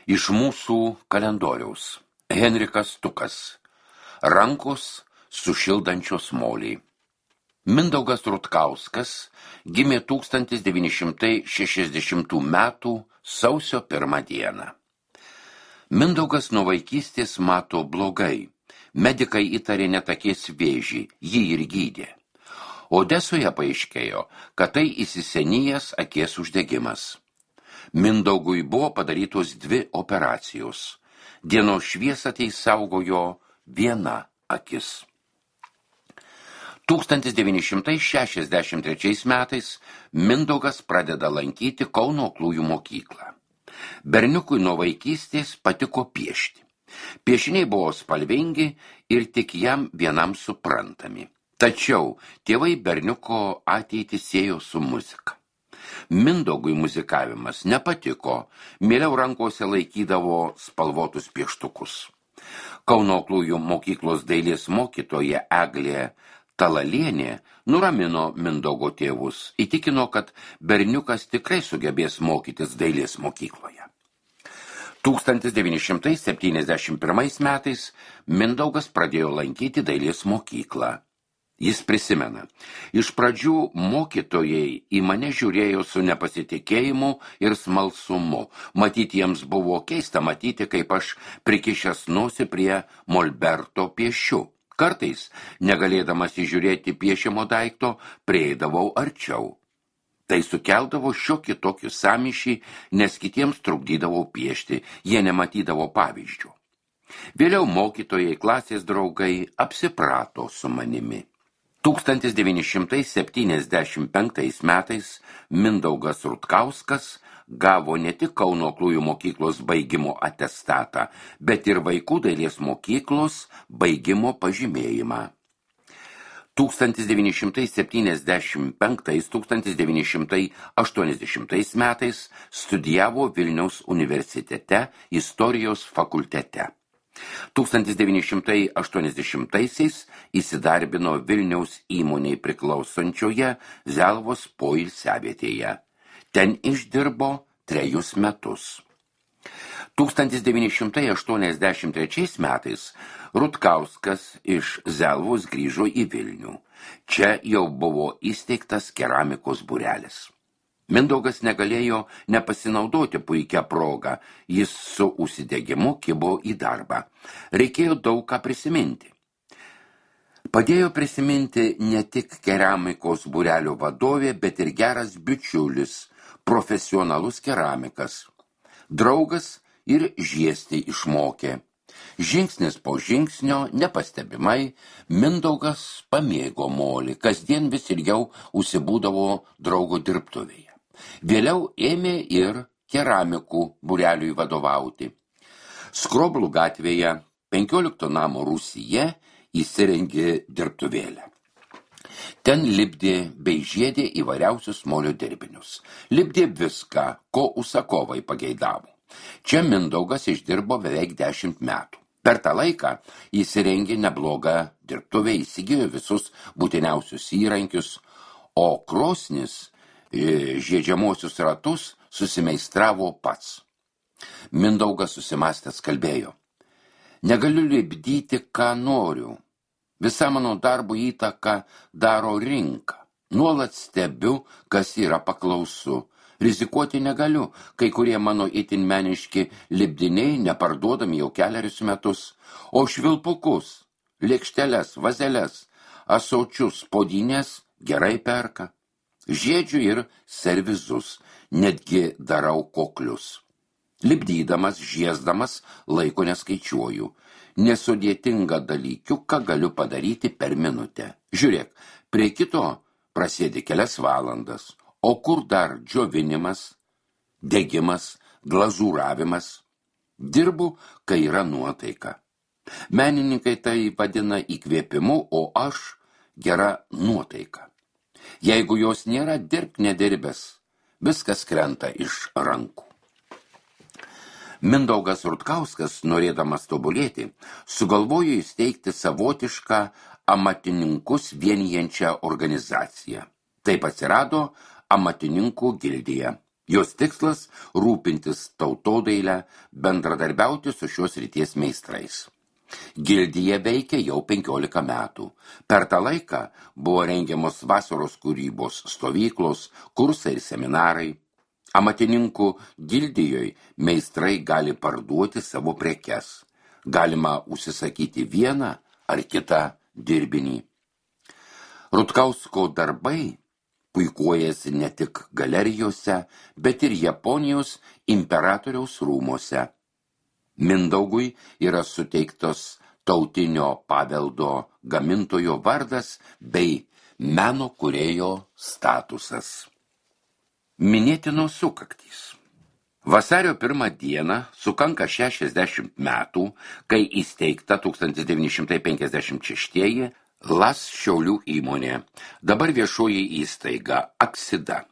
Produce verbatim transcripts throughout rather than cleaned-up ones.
Iš mūsų kalendoriaus. Henrikas Tukas. Rankos sušildančios moliai. Mindaugas Rutkauskas gimė tūkstantis devyni šimtai šešiasdešimtų metų sausio pirmą dieną. Mindaugas nuo vaikystės mato blogai. Medikai įtarė netakės vėžį, jį ir gydė. Odesoje paaiškėjo, kad tai įsisenijęs akies uždegimas. Mindaugui buvo padarytos dvi operacijos. Dienos šviesą tai saugojo viena akis. tūkstantis devyni šimtai šešiasdešimt trečiais metais Mindaugas pradeda lankyti Kauno Aklųjų mokyklą. Berniukui nuo vaikystės patiko piešti. Piešiniai buvo spalvingi ir tik jam vienam suprantami. Tačiau tėvai berniuko ateitį siejo su muzika. Mindaugui muzikavimas nepatiko, mieliau rankose laikydavo spalvotus pieštukus. Kauno Aklųjų mokyklos dailės mokytoja Eglė Talalienė nuramino Mindaugo tėvus, įtikino, kad berniukas tikrai sugebės mokytis dailės mokykloje. tūkstantis devyni šimtai septyniasdešimt pirmais metais Mindaugas pradėjo lankyti dailės mokyklą. Jis prisimena, iš pradžių mokytojai į mane žiūrėjo su nepasitikėjimu ir smalsumu. Matyti jiems buvo keista matyti, kaip aš prikišęs nosį prie molberto piešiu. Kartais, negalėdamas įžiūrėti piešiamo daikto, prieidavau arčiau. Tai sukeldavo šiokį tokį sąmyšį, nes kitiems trukdydavau piešti, jie nematydavo pavyzdžių. Vėliau mokytojai, klasės draugai apsiprato su manimi. tūkstantis devyni šimtai septyniasdešimt penktais metais Mindaugas Rutkauskas gavo ne tik Kauno Aklųjų mokyklos baigimo atestatą, bet ir vaikų dailės mokyklos baigimo pažymėjimą. tūkstantis devyni šimtai septyniasdešimt penktais - tūkstantis devyni šimtai aštuoniasdešimtais metais studijavo Vilniaus universitete istorijos fakultete. tūkstantis devyni šimtai aštuoniasdešimtaisiais įsidarbino Vilniaus įmonei priklausančioje Zelvos poilsiavietėje. Ten išdirbo trejus metus. tūkstantis devyni šimtai aštuoniasdešimt trečiais metais Rutkauskas iš Zelvos grįžo į Vilnių. Čia jau buvo įsteigtas keramikos būrelis. Mindaugas negalėjo nepasinaudoti puikią progą, jis su užsidegimu kibo į darbą. Reikėjo daug ką prisiminti. Padėjo prisiminti ne tik keramikos būrelio vadovė, bet ir geras bičiulis, profesionalus keramikas. Draugas ir žiesti išmokė. Žingsnis po žingsnio, nepastebimai, Mindaugas pamėgo molį, kasdien vis ilgiau užsibūdavo draugo dirbtuvėje. Vėliau ėmė ir keramikų būreliui vadovauti. Skroblų gatvėje penkiolikto namo rūsyje įsirengė dirbtuvėlę. Ten lipdė bei žiedė įvairiausius molio dirbinius. Lipdė viską, ko užsakovai pageidavo. Čia Mindaugas išdirbo beveik dešimt metų. Per tą laiką įsirengė neblogą dirbtuvę, įsigijo visus būtiniausius įrankius, o krosnis žiedžiamosius ratus susimeistravo pats. Mindaugas susimąstęs kalbėjo: negaliu lipdyti, ką noriu. Visa mano darbo įtaka daro rinka. Nuolat stebiu, kas yra paklausu. Rizikuoti negaliu, kai kurie mano itin meniški lipdiniai neparduodami jau keliarius metus, o švilpukus, lėkšteles, vazeles, ąsočius, puodynės gerai perka. Žiedžiu ir servizus, netgi darau koklius. Lipdydamas, žiesdamas, laiko neskaičiuoju. Nesudėtingą dalykiuką galiu padaryti per minutę. Žiūrėk, prie kito prasėdi kelias valandas, o kur dar džiovinimas, degimas, glazūravimas. Dirbu, kai yra nuotaika. Menininkai tai vadina įkvėpimu, o aš gera nuotaika. Jeigu jos nėra, dirbk nedirbęs, viskas krenta iš rankų. Mindaugas Rutkauskas, norėdamas tobulėti, sugalvojo įsteigti savotišką amatininkus vienijančią organizaciją. Taip atsirado amatininkų gildija. Jos tikslas – rūpintis tautodailę, bendradarbiauti su šios ryties meistrais. Gildija veikia jau penkiolika metų. Per tą laiką buvo rengiamos vasaros kūrybos stovyklos, kursai ir seminarai. Amatininkų gildijoje meistrai gali parduoti savo prekes. Galima užsisakyti vieną ar kitą dirbinį. Rutkausko darbai puikuojasi ne tik galerijose, bet ir Japonijos imperatoriaus rūmose. Mindaugui yra suteiktos tautinio paveldo gamintojo vardas bei meno kūrėjo statusas. Minėtinos sukaktys. Vasario pirmą dieną sukanka šešiasdešimt metų, kai įsteigta tūkstantis devyni šimtai penkiasdešimt šeštieji Las Šiaulių įmonė, dabar viešoji įstaiga Aksida.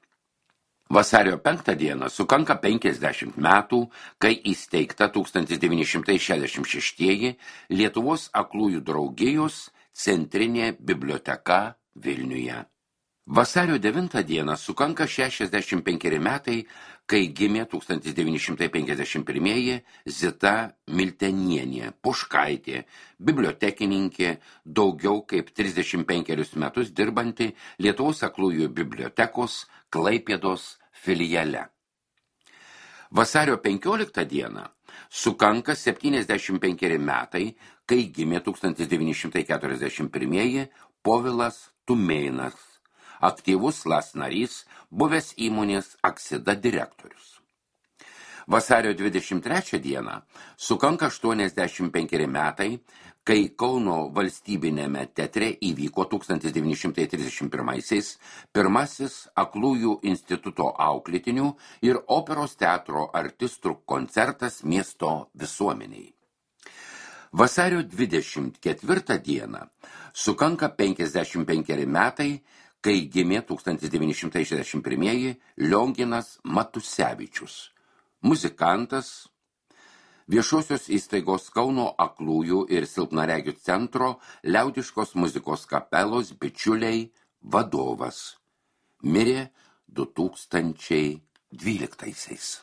Vasario penktą dieną sukanka penkiasdešimt metų, kai įsteigta tūkstantis devyni šimtai šešiasdešimt šeštieji Lietuvos aklųjų draugijos centrinė biblioteka Vilniuje. Vasario devintą dieną sukanka šešiasdešimt penkeri metai, kai gimė tūkstantis devyni šimtai penkiasdešimt pirmieji Zita Miltenienė, Puškaitė, bibliotekininkė, daugiau kaip trisdešimt penkerius metus dirbanti Lietuvos aklųjų bibliotekos Klaipėdos filiale. Vasario penkioliktą dieną sukanka septyniasdešimt penkeri metai, kai gimė tūkstantis devyni šimtai keturiasdešimt pirmieji Povilas Tumėnas, aktyvus Las narys, buvęs įmonės Aksida direktorius. Vasario dvidešimt trečią dieną sukanka aštuoniasdešimt penkeri metai, kai Kauno valstybinėme teatre įvyko tūkstantis devyni šimtai trisdešimt pirmaisiais pirmasis Aklųjų instituto auklėtinių ir operos teatro artistų koncertas miesto visuomeniai. Vasario dvidešimt ketvirtą dieną sukanka penkiasdešimt penkeri metai, kai gimė tūkstantis devyni šimtai šešiasdešimt pirmieji Lionginas Matusevičius, muzikantas, viešosios įstaigos Kauno aklųjų ir silpnaregių centro liaudiškos muzikos kapelos bičiuliai vadovas. Mirė du tūkstančiai dvyliktaisiais.